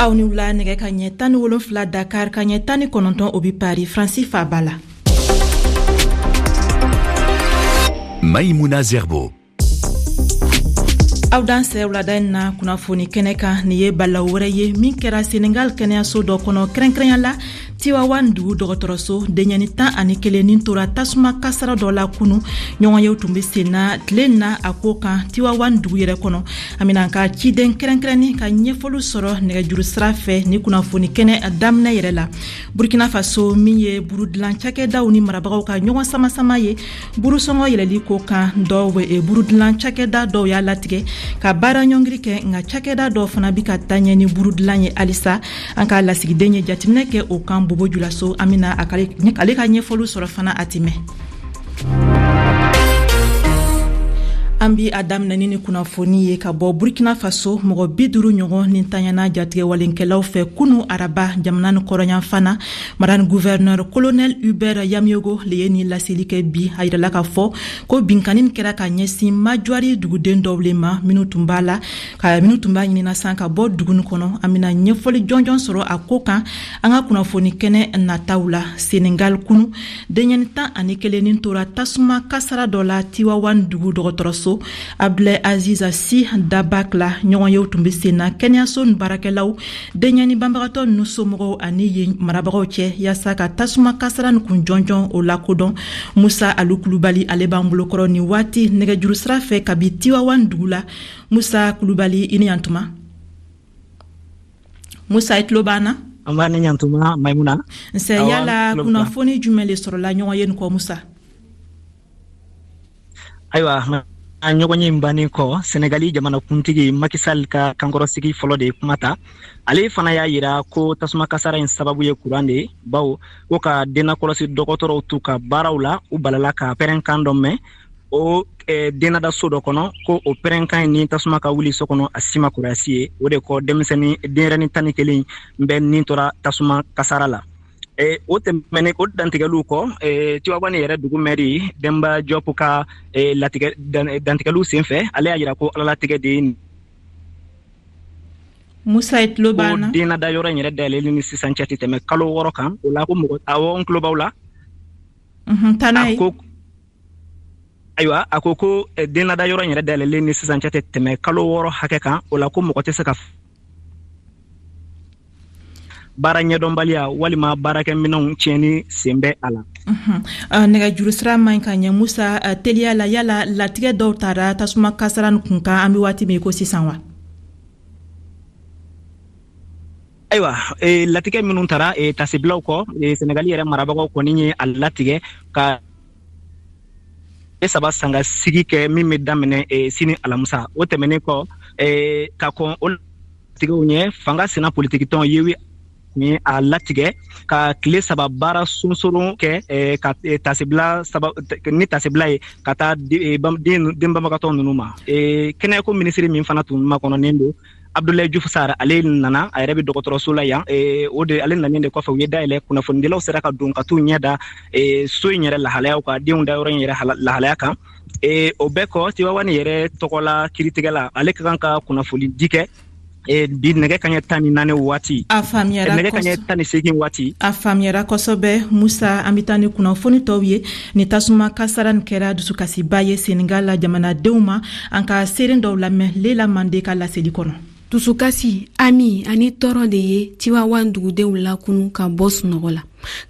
Aw ni wula. Nɛgɛ ka ɲɛ 17 Dakar, ka ɲɛ 19, o bi Paris, Faransi faba la. Maïmouna Zerbo. Aw dansɛ wulada in na kunnafoni kɛnɛ kan. Nin ye balaw wɛrɛ ye min kɛra Senegal kɛnɛyaso dɔ kɔnɔ, kɛrɛnkɛrɛnya la Tiwawan dugu dɔgɔtɔrɔso. Denyɛni 11 nin tora tasuma kasara dɔ la kunu. Ɲɔgɔnyew tun be senna tile na a ko kan Tiwawan dugu yɛrɛ kɔnɔ. An bena ka ciden kɛrɛnkɛrɛnni ka ɲɛfɔliw sɔrɔ nɛgɛjuru sira fɛ ni kunnafoni kɛnɛ daminɛ yɛrɛ la. Burkina Faso, min ye burudilan cakɛdaw ni marabagaw ka ɲɔgɔn samasama ye burusɔngɔ yɛlɛli ko kan, dɔw burudilan cakɛda dɔw y'a latigɛ ka baara ɲɔngiri kɛ, nka cakɛda dɔw fana bi ka taa ɲɛ ni burudilan ye halisa. An ka lasigiden ye jateminɛ kɛ o kan Bobo Julaso. An bena ale ka ɲɛfɔliw sɔrɔ fana a timɛ. An bi a daminɛ ni kunnafoni ye ka bɔ Burkina Faso. Mɔgɔ 50 ɲɔgɔn ni tanyana jatigɛwalenkɛlaw fɛ kunu araba jamana ni kɔrɔyanfan na. Mara ni gouverneur colonel Hubert Yamiogo le ye nin laseli kɛ bi. A yirala k'a fɔ ko binkanni kɛra ka ɲɛsin Majuari duguden dɔw le ma, minnu tun b'a la ka minnu tun b'a ɲinina san ka bɔ dugu nin kɔnɔ. An bɛna ɲɛfɔli jɔnjɔn sɔrɔ a ko kan an ka kunnafoni kɛnɛ nataw la. Senegal, kunu denyɛni 11 nin tora tasuma kasara dɔ la Tiwawan dugu dɔgɔtɔrɔso Abdulaye Aziz Sy Dabakh la. Ɲɔgɔnyew tun bɛ sen na kɛnɛyaso ni baarakɛlaw, denyɛni banbagatɔ ninnu somɔgɔw ani yen marabagaw cɛ, yaasa ka tasuma kasara nin kun jɔnjɔn o lakodɔn. Musa Alu Kulubali, ale b'an bolokɔrɔ nin waati nɛgɛjuru sira fɛ kabi Tiwawan dugu la. Musa Kulubali, i ni yantuma. Musa, i tulo b'an na? An b'a ni ɲantuma, Maimuna. Nse. Yala kunnafoni jumɛn le sɔrɔla ɲɔgɔn ye nin kɔ, Musa? Ayiwa, a ɲɔgɔn ye bannen kɔ, Senegali jamanakuntigi Macky Sall ka kankɔrɔsigi fɔlɔ de ye kuma ta. Ale fana y'a yira ko tasuma kasara in sababu ye kuran de ye, bawo ko ka dennakɔlɔsi dɔgɔtɔrɔw t'u ka baaraw la, u balala ka pɛrɛnkan dɔ mɛn o dennadaso dɔ kɔnɔ, ko o pɛrɛnkan in ni tasuma ka wuli so kɔnɔ, a si ma kɔrɔyasi ye. O de kɔ, denmisɛnnin denyɛrɛnin 11 bɛɛ nin tora tasuma kasara la. O tɛmɛnen o dantigɛliw kɔ, Tiwawani yɛrɛ dugu mɛri Denba Jɔpu ka latigɛ dantigɛliw senfɛ, ale y'a yira ko alalatigɛ de ye. Musa, i tulo b'an na? Ko dennada yɔrɔ in yɛrɛ dayɛlɛli ni sisan cɛ tɛ tɛmɛ kalo 6 kan. O la ko mɔgɔ, awɔ, n tulo b'aw la. Taa n'a ye. Ko ayiwa, a ko ko dennada yɔrɔ in yɛrɛ dayɛlɛlen ni sisan cɛ tɛ tɛmɛ kalo 6 hakɛ kan. O la ko mɔgɔ tɛ se ka baara ɲɛdɔnbaliya walima baarakɛminɛnw tiɲɛni sen bɛ a la. Nɛgɛjuru sira man ɲi ka ɲɛ, Musa. Teliya la, yala latigɛ dɔw tara tasuma kasara nin kun kan an bɛ waati min ko sisan wa? Ayiwa, latigɛ minnu tara tasibilaw kɔ, Senegali yɛrɛ marabagaw kɔni ye a latigɛ ka 3 sanga sigi kɛ min bɛ daminɛ sini alamisa. O tɛmɛnen kɔ, ka kɔn o latigɛw ɲɛ, fanga sina politikitɔn Yewi ni a latigɛ ka tile 3 baara sonsoron kɛ ka tasibila saba ni tasibila ye ka taa den banbagatɔ ninnu ma. Kɛnɛyako minisiri min fana tun makɔnɔnen don, Abdoulaye Diouf Sarr, ale nana, a yɛrɛ bɛ dɔgɔtɔrɔso la yan. O de ale nanen de kɔfɛ, u ye dayɛlɛ, kunnafonidilaw sera ka don ka t'u ɲɛ da so in yɛrɛ lahalayaw kan, denw da yɔrɔ in yɛrɛ lahalaya kan. O bɛɛ kɔ, Tiwawani yɛrɛ tɔgɔla kiiritigɛla, ale ka kan ka kunnafoni di kɛ bi nɛgɛ kaɲɛ 14 waati. A faamuyara. Nɛgɛ kaɲɛ 18 waati. A faamuyara kosɛbɛ, Musa. An bɛ taa ni kunnafoni tɔw ye. Ni tasuma kasara nin kɛra dusukasiba ye Senegal la jamanadenw ma. An ka seeren dɔw lamɛn Lela Mande ka laseli kɔnɔ. Dusukasi, ami ani tɔɔrɔ de ye Tiwawan dugudenw lakunu ka bɔ sunɔgɔ la,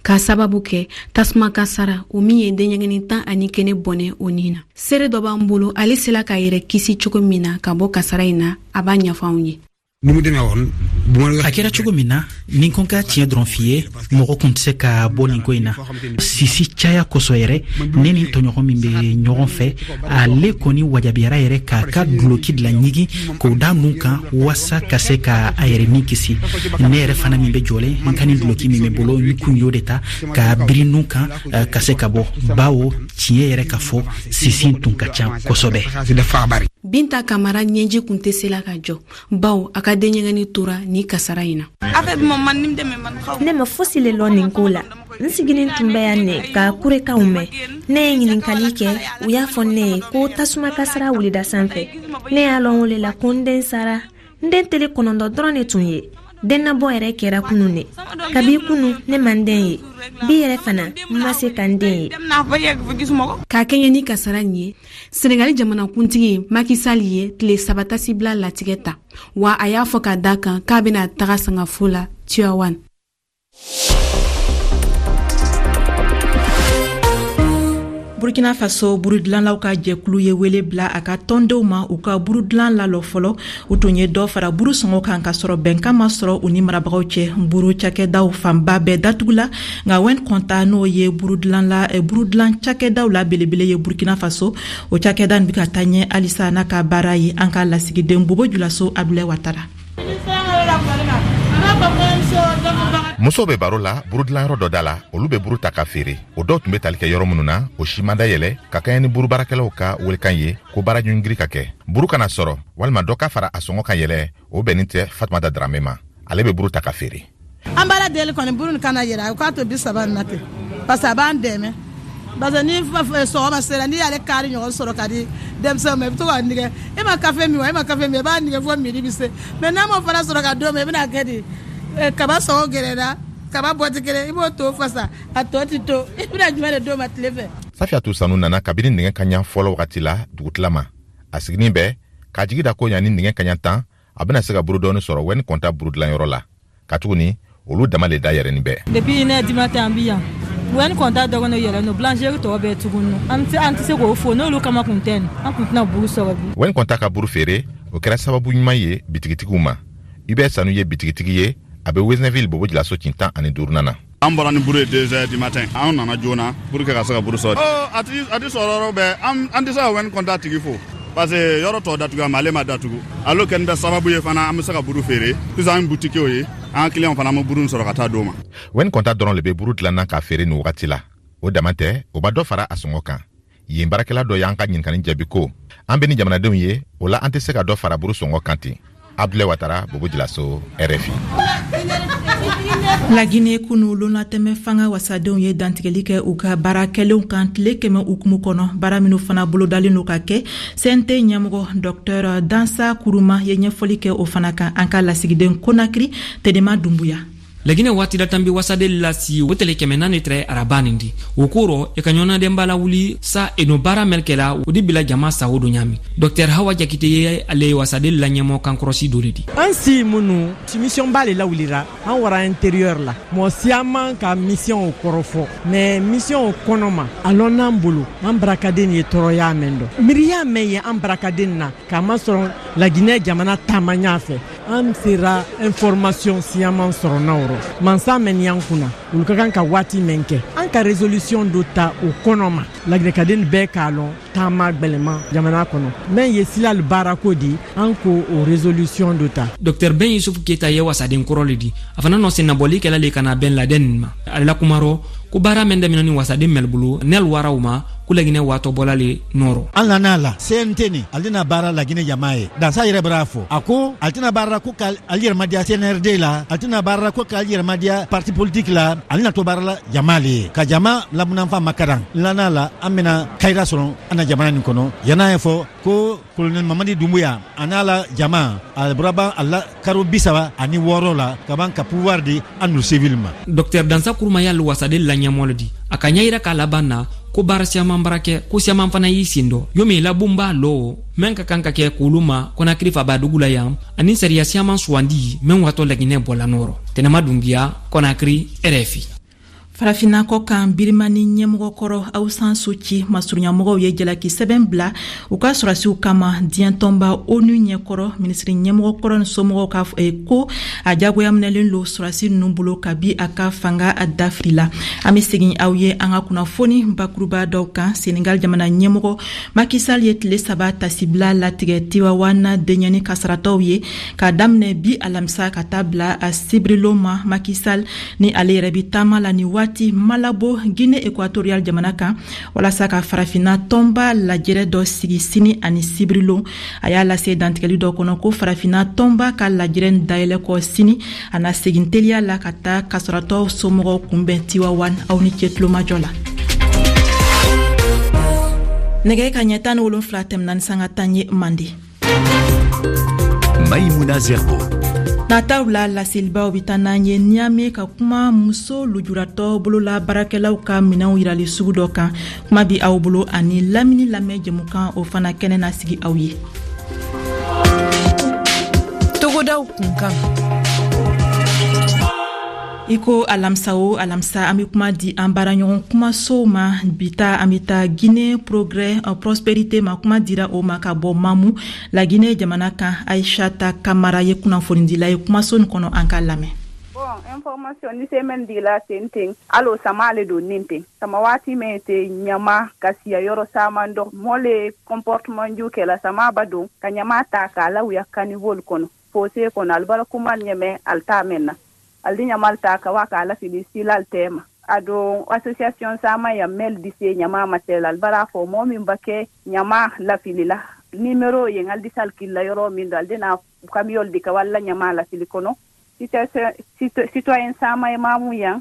k'a sababu kɛ tasuma kasara o min ye denɲɛgɛni 11 bɔnɛ o nin na. Seere dɔ b'an bolo, ale sela k'a yɛrɛ kisi cogo min na ka bɔ kasara in na, a b'a ɲɛfɔ anw ye. A kɛra cogo min na, ni ko ka tiɲɛ dɔrɔn f'i ye, mɔgɔ kun tɛ se ka bɔ nin ko in na sisi caya kosɔn yɛrɛ. Ne ni tɔɲɔgɔn min bɛ ɲɔgɔn fɛ, ale kɔni wajabiyara yɛrɛ k'a ka duloki dilan ɲigin k'o da nun kan waasa ka se ka a yɛrɛ ni kisi. Ne yɛrɛ fana min bɛ jɔlen, n ka nin duloki min bɛ bolo, n kun y'o de ta ka biri nun kan ka se ka bɔ, bawo tiɲɛ yɛrɛ ka fɔ, sisi tun ka ca kosɛbɛ. Binta Kamara ɲɛji kun tɛ se la ka jɔ, bawo a ka denɲɛgɛnni tora ni kasara in na. Ne ma fosi le lɔn nin ko la. N siginin tun bɛ yan ne ka kurekanw mɛn. Ne ye ɲininkali kɛ, u y'a fɔ ne ye ko tasuma kasara wulida sanfɛ. Ne y'a lɔn o le la ko n den sara. N den tele 9 dɔrɔn de tun ye. Dennabɔ yɛrɛ kɛra kunu ne. Kabi kunu ne ma n den ye. Bi yɛrɛ fana n ma se ka n den ye. Ka kɛɲɛ ni kasara nin ye, Senegali jamanakuntigi Macky Sall ye tile 3 tasibila latigɛ ta, wa a y'a fɔ ka da kan k'a bɛna taga sangafo la Tivaouane. Burkina Faso burudilanlaw ka jɛkulu ye wele bila a ka tɔndenw ma u ka burudilan lalɔ fɔlɔ. U tun ye dɔ fara buru sɔngɔ kan ka sɔrɔ bɛnkan ma sɔrɔ u ni marabagaw cɛ. Buru cakɛdaw fanba bɛɛ datugula, nka Wɛn Kɔnta, n'o ye burudilan cakɛdaw la belebele ye Burkina Faso, o cakɛda nin bɛ ka taa ɲɛ halisa n'a ka baara ye. An ka lasigiden Bobo Julaso, Abdulayi Watara. Musow bɛ baro la burudilanyɔrɔ dɔ da la. Olu bɛ buru ta ka feere. O dɔw tun bɛ tali kɛ yɔrɔ minnu na, o si ma dayɛlɛ ka kɛɲɛ ni buru baarakɛlaw ka welekan ye ko baara ɲɔngiri ka kɛ, buru kana sɔrɔ walima dɔ ka fara a sɔngɔ kan yɛlɛ. O bɛnnin tɛ Fatumata Darame ma. Ale bɛ buru ta ka feere. An b'Ala deli kɔni, buru nin kana yɛlɛ, a k'a to 30 nin na ten, parce que a b'an dɛmɛ, parce que ni sɔgɔma sera, n'i y'ale kari ɲɔgɔn sɔrɔ ka di denmisɛnw ma, i bɛ to k'a nigɛ. E ma kafe min wa? E ma kafe min, i b'a nigɛ fo midi bɛ se. Mais n'a m'o fana sɔrɔ ka d'o ma, i bɛna kɛ di? Kaba sɔngɔ gɛlɛyara, kaba bɔti kelen, i b'o to fasa, a tɔ ti to, i bɛna jumɛn de d'o ma tile fɛ? Safiyatu Sanu nana kabini nɛgɛ kaɲa fɔlɔ wagati la dugutila ma. A siginin bɛ k'a jigi da ko yanni nɛgɛ kaɲa 10, a bɛna se ka buru dɔɔni sɔrɔ Wɛni Kɔnta buru dilanyɔrɔ la, katuguni olu dama le da yɛrɛnin bɛɛ. Depuis 1h du matin an bi yan. Wɛni Kɔnta dɔgɔnin yɛrɛ no, boulangerie tɔ bɛɛ tuguni. An tɛ se k'o fo, n'olu kama kun tɛ nin, an kun tɛna buru sɔrɔ bi. Wɛni Kɔnta ka buru feere, o kɛra sababu ɲuman ye bitigitigiw ma. Hubert Sanu ye bitigitigi ye, a bɛ Wezneville Bobo Julaso kin 15nan na. An bɔra ni buru ye 2h du matin, an nana joona pour que ka se ka buru sɔrɔ. A ti sɔrɔ yɔrɔ bɛɛ. An tɛ se ka Wɛni Kɔnta tigi fo, parce que yɔrɔ tɔ datugu, mais ale ma datugu. Ale kɛlen bɛ sababu ye fana an bɛ se ka buru feere, sisan an butikiw ye, an ka client fana, an bɛ buru sɔrɔ ka taa d'o ma. Wɛni Kɔnta dɔrɔn le bɛ buru dilanna k'a feere nin wagati la. O dama tɛ, o ba dɔ fara a sɔngɔ kan. Yen baarakɛla dɔ y'an ka ɲininkali jaabi ko an bɛ ni jamanadenw ye, o la an tɛ se ka dɔ fara buru sɔngɔ kan ten. Abdulayi Watara, Bobo Julaso, RFI. Lagine, kunu lonatɛmɛ fanga wasadenw ye dantigɛli kɛ u ka baara kɛlenw kan tile 100 hukumu kɔnɔ, baara minnu fana bolodalen don ka kɛ. CNT ɲɛmɔgɔ Dr Dansa Kuruma ye ɲɛfɔli kɛ o fana kan. An ka lasigiden Konakiri, Tedema Dunbuya. Lagine waati la tanbi wasaden lasi o tele 400 tɛrɛ araba nin di o korɔ i ka ɲɔnadɛnba lawuli sa eno baara mɛl kɛla o di bila jama sago do ɲami. Dɔktɛr Hawa Jakite ye ale wasaden la ɲɛmɔ kankɔrɔsi do le di. An si minnu mission ba le lawulira, an wara intérieur la, mɔgɔ siyaman ka mission o kɔrɔfɔ, mais mission o kɔnɔ ma a lɔn n'an bolo an barakaden ye tɔɔrɔya mɛn dɔ miiriya mɛn ye an barakaden na, k'a masɔrɔ Laginɛ jamana taama ɲa fɛ, an sera information siyaman sɔrɔ n'aw rɔ. Mansa mɛn y'an kunna, olu ka kan ka waati mɛn kɛ, an ka résolution dɔ ta o kɔnɔ ma, laginɛkaden bɛɛ k'a lɔn taama gwɛlɛman jamana kɔnɔ mɛn ye silal baarako di, an ko o résolution dɔ ta. Dr Ben Yusuf Keta ye wasaden kɔrɔ le di. A fana nɔ sennabɔli kɛla le ka na bɛn ladɛn nin ma. Ale la kumarɔ ko baara mɛn daminɛ ni wasaden mɛl bolo nɛl waraw ma ko Laginɛ waatɔ bɔla le nɔrɔ. An lana la CNT ni ale na baara Laginɛ jama ye. Dansa yɛrɛ bara fɔ, a ko ale tɛna baara ko ka ale yɛrɛ madiya CNRD la, ale tɛna baara ko k'ale yɛrɛ madiya parti politique la, ale na to baara la jama le ye, ka jama lamunanfa makaran. Lana la an bɛna kayira sɔrɔ an na jamana nin kɔnɔ. Yan'a ye fɔ ko colonel Mamadi Doumbouya a n'a la jama a bɔra ban a la karo 36 la ka ban ka pouvoir di an nu civil ma. Docteur Dansa Kuruma y'ale wasaden la ɲɛmɔgɔ le di. A ka ɲɛ yira k'a laban na ko baara siyaman bara kɛ, ko siyaman fana y'i sen dɔ yomi labon b'a lɔ mɛn ka kan ka kɛ k'olu ma Konakiri faba dugu la yan, ani sariya siyaman sugandi mɛn watɔ Laginɛ bɔla nɔrɔ. Tɛnɛma Dunbiya, Konakiri, RFI. Farafinna kɔ kan, Birimani ɲɛmɔgɔ kɔrɔ Aung San Suu Kyi masurunyamɔgɔw ye jalaki sɛbɛn bila u ka sɔrɔdasiw kama diɲɛ tɔnba ONU ɲɛkɔrɔ. Minisiri ɲɛmɔgɔ kɔrɔ ni somɔgɔw ka ko a jagoya minɛlen lo sɔrɔdasi ninnu bolo kabi a ka fanga dafiri la. An bɛ segin aw ye an ka kunnafoni bakuruba dɔw kan. Senegal jamana ɲɛmɔgɔ Macky Sall ye tile 3 tasibila latigɛ Tivaouane denyɛni kasaratɔw ye k'a daminɛ bi alamisa ka taa bila a sibirilon ma. Macky Sall ni ale yɛrɛ bi taama la ni waati Malabo, Guinée équatoriale jamana kan, walasa ka farafinna tɔnba lajɛrɛ dɔ sigi sini ani sibirilon. A y'a lase dantigɛli dɔ kɔnɔ ko farafinna tɔnba ka lajɛrɛ dayɛlɛ kɔ sini, a na segin teliya la ka taa kasaratɔ somɔgɔw kunbɛn Tivaouane. Aw ni ce tulomajɔ la. Nɛgɛ ka ɲɛ 17 tɛmɛna ni sanga 10 ye Mande. Maïmouna Zerbo. Nataw la, laselibaw bɛ taa n'an ye Niamey ka kuma muso lujuratɔ bolola baarakɛlaw ka minɛnw yirali sugu dɔ kan. Kuma bi aw bolo ani lamini lamɛn jɛmukan, o fana kɛnɛ na sigi aw ye. Togodaw kunkan. I ko alamisa o alamisa, an be kuma di an baaraɲɔgɔn kumasow ma. Bi ta, an be taa Guinée Progrès Prospérité ma. Kuma dira o ma ka bɔ Mamu, Laginɛ jamana kan. Aishata Kamara ye kunnafonidila ye kumaso nin kɔnɔ. An k'a lamɛn. Bon, information ni se men dila ten ten, alo sama le do nin ten sama waati men te ɲama ka siya yɔrɔ saman dɔ mɔ le comportement ju kɛla sama ba don ka ɲama ta k'a lawuya caniveau kɔnɔ, fossé kɔnɔ. Ali bara kuma ɲɛmɛ, ali t'a mɛn na, ali di ɲamal ta ka wa k'a lafili silal tɛma. A don association sama ya mel di se ɲama masel, ali bara fɔ mɔgɔ min ba kɛ ɲama lafili la, numéro yen, ali di sal killa yɔrɔ min do, ali di na camion di ka walla ɲama lafili kɔnɔ. Citoyen sama ye mamu yan,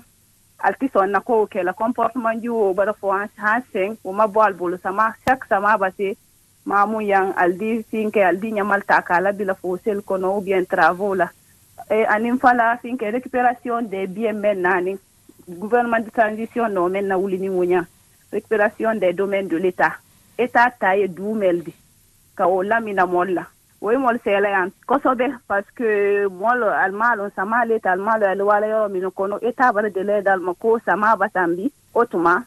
ali ti sɔn na kow kɛla comportement ju o bara fɔ han sen o ma bɔ ali bolo. Sama, chaque sama ba se mamu yan, ali di finkɛ, ali di ɲamal ta k'a labila fossé kɔnɔ ou bien travaux la. E anin fala finke récupération des biens men nani gouvernement de transition no men na wuli ni wonya récupération des domaines de l'État, État ta ye dumel di ka o lamina mol la, o ye mol sɛlɛ yan kosɛbɛ, parce que mol almalon sama l'État almalo al wala yɔrɔ min kɔnɔ, État bara délai dal ma ko sama batambi o tuma.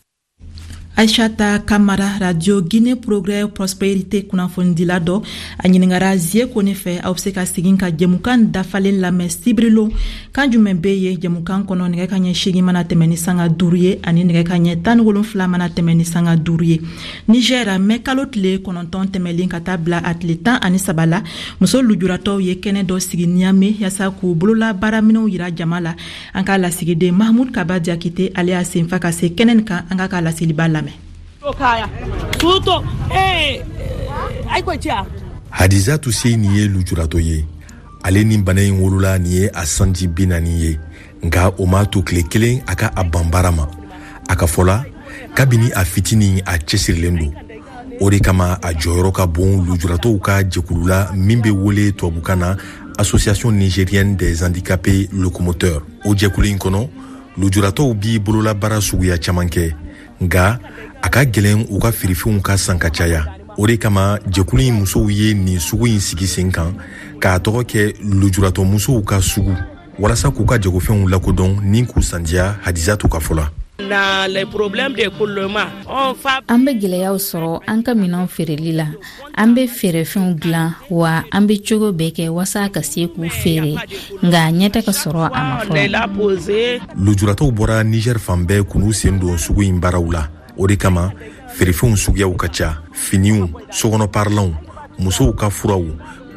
Aishata Kamara, Radio Guinée Progrès Prospérité kunnafonidila dɔ, a ɲiningara Zie Kone fɛ. Aw be se ka segin ka jɛmukan dafalen lamɛn sibirilon kan jumɛn be ye jɛmukan kɔnɔ, nɛgɛ ka ɲɛ 8 mana tɛmɛ ni sanga 5 ye ani nɛgɛ ka ɲɛ 17 mana tɛmɛ ni sanga 5 ye. Niger, mɛ kalo tile 9 tɛmɛlen ka taa bila a tile 13 la, muso lujuratɔw ye kɛnɛ dɔ sigi Niamey yaasa k'u bolola baaraminɛw yira jama la. An k'a lasigiden Mahmud Kaba Diakite, ale y'a senfa ka se kɛnɛ nin kan. An k'a ka laseliba lamɛn. Hadiza Tuseini ye lujuratɔ ye. Ale ni bana in wolola nin ye a sanji 40 ye, nka o m'a to tile kelen a ka a ban baara ma. A ka fɔ la, kabini a fitinin, a cɛsirilen don. O de kama a jɔyɔrɔ ka bon lujuratɔw ka jɛkulu la min bɛ wele tubabukan na Association nigérienne des handicapés locomoteurs. O jɛkulu in kɔnɔ, lujuratɔw b'i bololabaara suguya caman kɛ, nka a ka gwɛlɛn u ka feerefɛnw ka san ka caya. O de kama jɛkulu in musow ye nin sugu in sigi sen kan k'a tɔgɔ kɛ lujuratɔ musow ka sugu, walasa k'u ka jagofɛnw lakodɔn ni k'u sandiya. Hadizatu ka fɔ la, an bɛ gwɛlɛyaw sɔrɔ an ka minɛnw feereli la. An bɛ feerefɛnw dilan wa, an bɛ cogo bɛɛ kɛ walasa ka se k'u feere, nka ɲɛ tɛ ka sɔrɔ a ma fɔlɔ. Lujuratɔw bɔra Niger fan bɛɛ k'u sen don sugu in baaraw la. O de kama feerefɛnw suguyaw ka ca: finiw, sokɔnɔ parilanw, musow ka furaw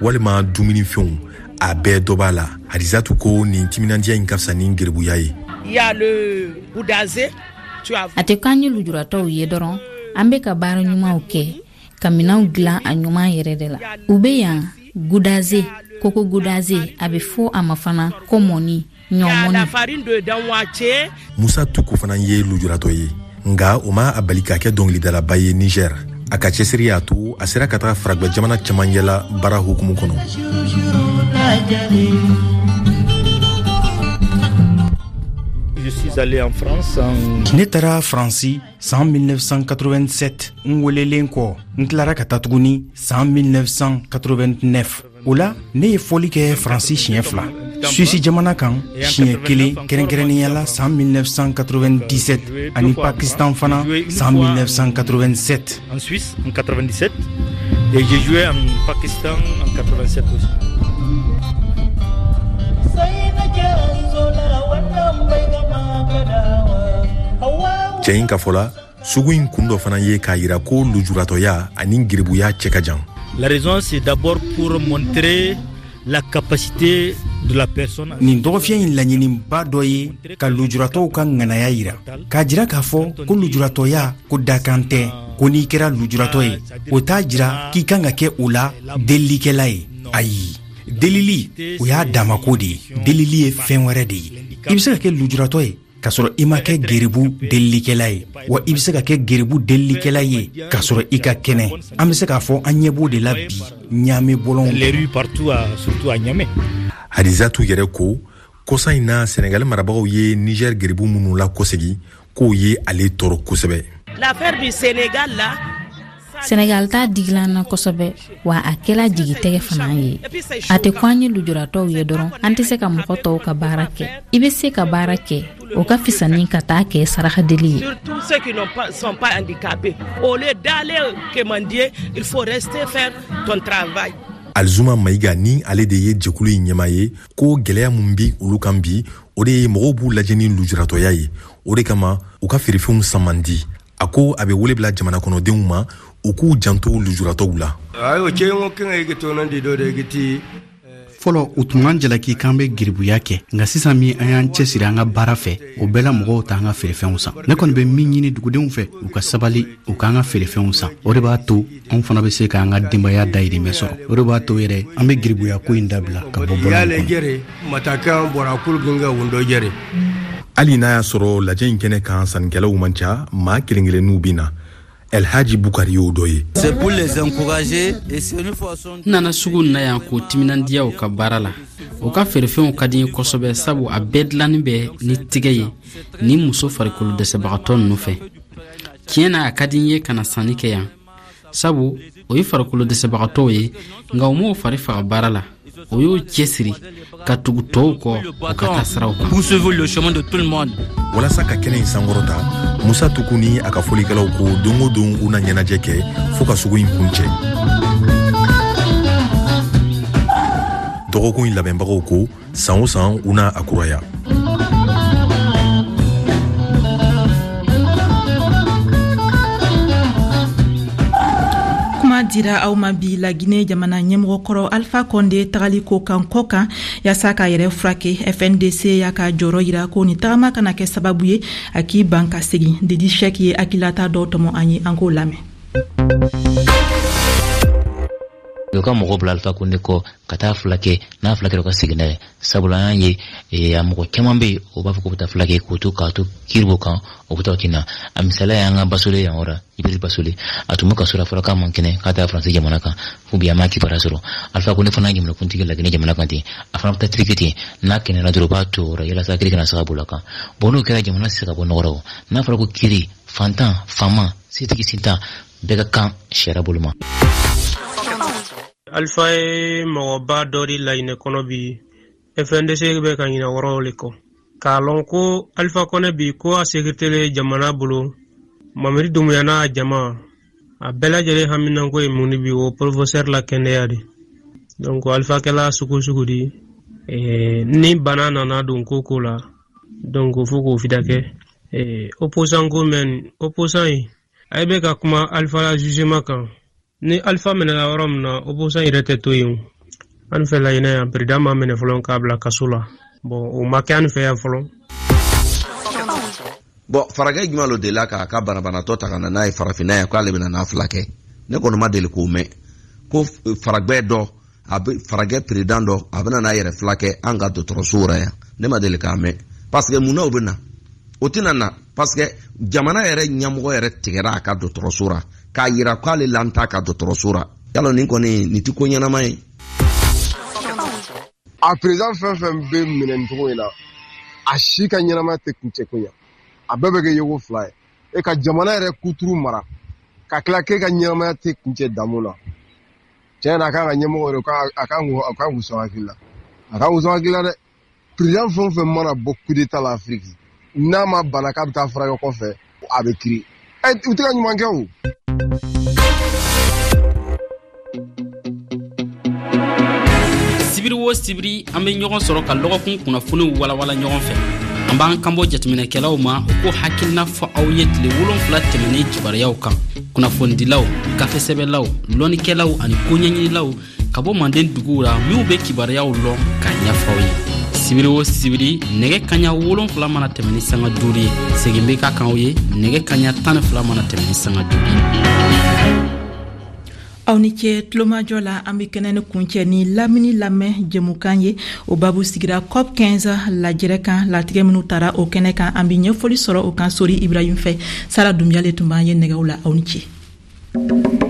walima dumunifɛnw, a bɛɛ dɔ b'a la. Hadizatu ko nin timinandiya in ka fisa ni geribuya ye. A tɛ k'an ye lujuratɔw ye dɔrɔn, an bɛ ka baara ɲumanw kɛ, ka minɛnw dilan a ɲuman yɛrɛ de la. U bɛ yan gudaze, koko gudaze, a bɛ fɔ a ma fana ko mɔni, ɲɔmɔni. Musa Tuku fana ye lujuratɔ ye, nka o ma a bali ka kɛ dɔngilidalaba ye Niger. A ka cɛsiri y'a to a sera ka taga faragwɛ jamana caman yɛla baara hukumu kɔnɔ. Ne taara Faransi san 1987 n welelen kɔ. N tilara ka taa tuguni san 1989. O la, ne ye fɔli kɛ Faransi siɲɛ fila, Suwisi jamana kan siɲɛ kelen, kɛrɛnkɛrɛnnenya la san 1997, ani Pakistan fana san 1987. En Suisse en 97 et j'ai joué en Pakistan en 87 aussi. Cɛ in ka fɔ la, sugu in kun dɔ fana ye k'a yira ko lujuratɔya ani geribuya cɛ ka jan. La raison, c'est d'abord pour montrer la capacité de la personne. Nin dɔgɔfiyɛ in laɲiniba dɔ ye ka lujuratɔw ka ŋanaya yira, k'a jira k'a fɔ ko lujuratɔya ko dakan tɛ, ko n'i kɛra lujuratɔ ye, o t'a jira k'i kan ka kɛ o la delilikɛla ye. Ayi, delili, o y'a damako de ye. Delili ye fɛn wɛrɛ de ye. I bɛ se ka kɛ lujuratɔ ye k'a sɔrɔ i ma kɛ geribu delilikɛla ye, wa i bɛ se ka kɛ geribu delilikɛla ye k'a sɔrɔ i ka kɛnɛ. An bɛ se k'a fɔ an ɲɛ b'o de la bi Ɲame bɔlɔnw. Les rues partout, surtout à Niamey. Hadizatu yɛrɛ ko kɔsa in na Senegali marabagaw ye Niger geribu minnu lakɔsegi, k'o ye ale tɔɔrɔ kosɛbɛ. L'affaire du Sénégal là, Senegal ta digila an na kosɛbɛ, wa a kɛla jigitɛgɛ fana ye. A tɛ ko an ye lujuratɔw ye dɔrɔn, an tɛ se ka mɔgɔ tɔw ka baara kɛ. I bɛ se ka baara kɛ, o ka fisa ni ka taa kɛ sarakadeli ye. Surtout ceux qui ne sont pas handicapés. Au lieu d'aller quémander, il faut rester faire ton travail. Alzuma Mayiga ni ale de ye jɛkulu in ɲɛmaa ye, ko gwɛlɛya min bi olu kan bi, o de ye mɔgɔw b'u lajɛ ni lujuratɔya ye. O de kama u ka feerefɛnw san man di. A ko a bɛ wele bila jamana kɔnɔdenw ma, u k'u janto lujuratɔw la. Fɔlɔ u tun b'an jalaki k'an bɛ geribuya kɛ, nka sisan min an y'an cɛsiri an ka baara fɛ, o bɛɛ la mɔgɔw t'an ka feerefɛnw san. Ne kɔni bɛ min ɲini dugudenw fɛ, u ka sabali, u k'an ka feerefɛnw san. O de b'a to anw fana bɛ se k'an ka denbaya dayirimɛ sɔrɔ. O de b'a to yɛrɛ an bɛ geribuya ko in dabila ka bɔ bɔlɔn kɔnɔ. Hali n'a y'a sɔrɔ lajɛ in kɛnɛ kan sannikɛlaw man ca, maa kelen kelenninw bɛ na. Elhaji Bukari y'o dɔ ye. C'est pour les encourager et c'est une façon. N nana sugu na yan k'o timinandiya u ka baara la. U ka feerefɛnw ka di n ye kosɛbɛ, sabu a bɛɛ dilannin bɛ ni tigɛ ye ni muso farikolo dɛsɛbagatɔ ninnu fɛ. Tiɲɛ na, a ka di n ye ka na sanni kɛ yan, sabu o ye farikolo dɛsɛbagatɔw ye, nka u m'o fari faga baara la. O y'o cɛsiri ka tugu tɔw kɔ u ka taa siraw kan. Poursuivre le chemin de tout le monde. Walasa ka kɛnɛ in sankɔrɔta, Musa Tuku ni a ka fɔlikɛlaw ko don o don u na ɲɛnajɛ kɛ fɔɔ ka sugu in kuncɛ. Dɔgɔkun in labɛnbagaw ko san o san u na a kuraya. Kuma dira aw ma bi Lagine jamana ɲɛmɔgɔ kɔrɔ Alpha Condé tagali ko kan kɔ kan yaasa k'a yɛrɛ furakɛ. FNDC y'a ka jɔyɔrɔ yira ko nin tagama kana kɛ sababu ye a k'i ban ka segin. Didi Sɛk ye hakililata dɔw tɔmɔ an ye, an k'o lamɛn. U ka mɔgɔ bila Alpha Condé kɔ ka taa fulakɛ, n'a fulakɛra u ka segin n'a ye. Sabula an y'a ye, a mɔgɔ caman bɛ yen, o b'a fɔ k'u bɛ taa fulakɛ k'u to k'a to kiiribo kan, o bɛ taa o tɛ na. A misaliya y'an ka Basole yan yɔrɔ, Ibris Basole, a tun bɛ kaso la, fɔra k'a man kɛnɛ k'a taa Faransi jamana kan, fo bi an m'a kibaruya sɔrɔ. Alpha Condé fana ye jamanakuntigi Laginɛ jamana kan ten, a fana bɛ taa Turki ten, n'a kɛnɛyara dɔrɔn u b'a to o yɔrɔ yalasa kiiri kana se ka boli a kan. Bon, n'o kɛra jamana tɛ se ka bɔ nɔgɔ la o. N'a fɔra ko kiiri, fantan, faama, setigi, sentan, bɛɛ ka kan sariya bolo ma. Alpha ye mɔgɔba dɔ di Laginɛ kɔnɔ bi. FNDC bɛ ka ɲinɛ wɔrɔw le kɔ. K'a lɔn ko Alpha Condé bi ko a sécurité le jamana bolo. Mamadi Doumbouya n'a jama, a bɛɛ lajɛlen haminanko ye mun de bi, o professeur la kɛnɛya de. Donc Alpha kɛla sugu sugu di. Ni bana nana don ko ko la, donc fo k'o fida kɛ. Opposant ko mɛn, opposant ye, a bɛ ka kuma Alpha la jugement kan. Ni Alpha minɛla yɔrɔ min na, opposant yɛrɛ tɛ to yen. An fɛ Laginɛ yan, président ma minɛ fɔlɔ k'a bila kaso la. Bon, o ma kɛ an fɛ yan fɔlɔ. Bon, faragɛ jumɛn lo delila k'a ka banabanatɔ ta ka na n'a ye farafinna yan k'ale bɛna n'a furakɛ? Ne kɔni ma deli k'o mɛn. Ko faragɛ dɔ, a bɛ faragɛ président dɔ, a bɛna n'a yɛrɛ furakɛ an ka dɔgɔtɔrɔsow la yan. Ne ma deli k'a mɛn. Parce que mun na o bɛ na? O tɛna na. Parce que jamana yɛrɛ ɲɛmɔgɔ yɛrɛ tigɛra a ka dɔgɔtɔrɔso la k'a yira k'ale lan t'a ka dɔgɔtɔrɔso la. Yalɔ nin kɔni nin tɛ ko ɲɛnama ye. A président fɛn fɛn bɛ minɛ nin cogo in na, a si ka ɲɛnamaya tɛ kuncɛ ko ɲɛ. A bɛɛ bɛ kɛ yeko fila ye. E ka jamana yɛrɛ kuturu mara ka tila k'e ka ɲɛnamaya tɛ kuncɛ damu na. Tiɲɛ na, a kan ka ɲɛmɔgɔ yɛrɛ, a kan k'u sɔn hakili la. A kan k'u sɔn hakili la dɛ. Président fɛn o fɛn mana bɔ coup d'état la Afiriki, n'a ma bana k'a bɛ taa furakɛ kɔfɛ, a bɛ kiiri. U tɛ ka ɲuman kɛ o. Sibiri o sibiri, an bɛ ɲɔgɔn sɔrɔ ka lɔgɔkun kunnafoniw walawala ɲɔgɔn fɛ. An b'an kanbɔ jateminɛkɛlaw ma, u k'o hakilina fɔ aw ye tile 7 tɛmɛnen kibaruyaw kan. Kunnafonidilaw, gafesɛbɛlaw, lɔnnikɛlaw ani koɲɛɲinilaw ka bɔ manden duguw la minw bɛ kibaruyaw lɔn k'a ɲɛfɔ aw ye. Sibiri o sibiri, nɛgɛ kaɲa 7 mana tɛmɛ ni sanga 5 ye, segin bɛ ka kan aw ye nɛgɛ kaɲa 12 mana tɛmɛ ni sanga 5 ye. Aw ni ce tulomajɔ la. An bɛ kɛnɛ ni kuncɛ ni lamini lamɛn jɛmukan ye. O babu sigira COP 15 lajɛrɛ kan, latigɛ minnu tara o kɛnɛ kan. An bɛ ɲɛfɔli sɔrɔ o kan Sori Ibrahim fɛ. Sara Dunbiya le tun b'an ye nɛgɛw la. Aw ni ce.